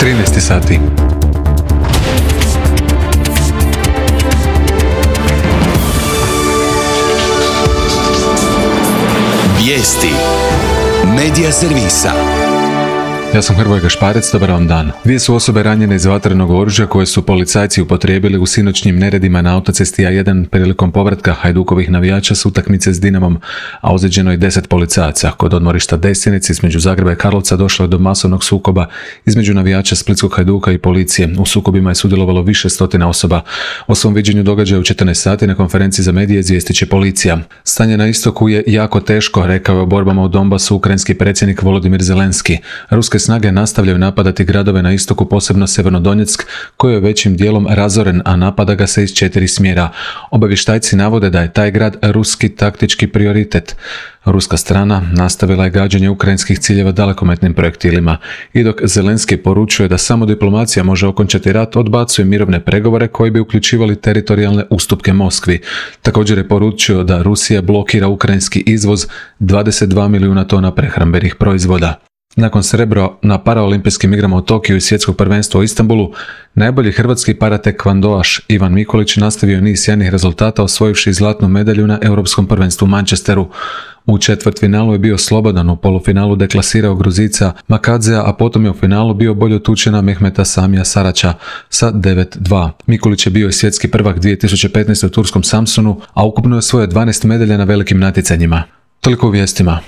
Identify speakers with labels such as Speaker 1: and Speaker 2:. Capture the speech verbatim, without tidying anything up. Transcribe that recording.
Speaker 1: trinaest sati.
Speaker 2: Vijesti Medija servisa.
Speaker 1: Ja sam Hrvoje Gašparec, dobar vam dan. Dvije su osobe ranjene iz vatrenog oružja koje su policajci upotrijebili u sinoćnjim neredima na autocesti A jedan prilikom povratka Hajdukovih navijača s utakmice s Dinamom, a ozlijeđeno je deset policajaca. Kod odmorišta Destinec između Zagreba i Karlovca došlo je do masovnog sukoba između navijača Splitskog Hajduka i policije. U sukobima je sudjelovalo više stotina osoba. O svom viđenju događaja u četrnaest sati na konferenciji za medije izvijestit će policija. Stanje na istoku je jako teško, rekao je o borbama u Donbasu ukrajinski predsjednik Volodimir Zelenski. Ruske snage nastavljaju napadati gradove na istoku, posebno Sjevernodonjeck, koji je većim dijelom razoren, a napada ga se iz četiri smjera. Obavještajci navode da je taj grad ruski taktički prioritet. Ruska strana nastavila je gađanje ukrajinskih ciljeva dalekometnim projektilima i dok Zelenski poručuje da samo diplomacija može okončati rat, odbacuje mirovne pregovore koji bi uključivali teritorijalne ustupke Moskvi. Također je poručio da Rusija blokira ukrajinski izvoz dvadeset dva milijuna tona prehrambenih proizvoda. Nakon srebro na paraolimpijskim igrama u Tokiju i svjetskog prvenstva u Istanbulu, najbolji hrvatski paratekvandoaš Ivan Mikulić nastavio niz sjajnih rezultata osvojivši zlatnu medalju na Europskom prvenstvu u Manchesteru. U četvrtfinalu je bio slobodan, u polufinalu deklasirao Gruzica Makadzea, a potom je u finalu bio bolje otučena Mehmeta Samija Sarača sa devet dva. Mikulić je bio i svjetski prvak dvije tisuće petnaeste u turskom Samsunu, a ukupno je osvojio dvanaest medalja na velikim natjecanjima. Toliko u vijestima.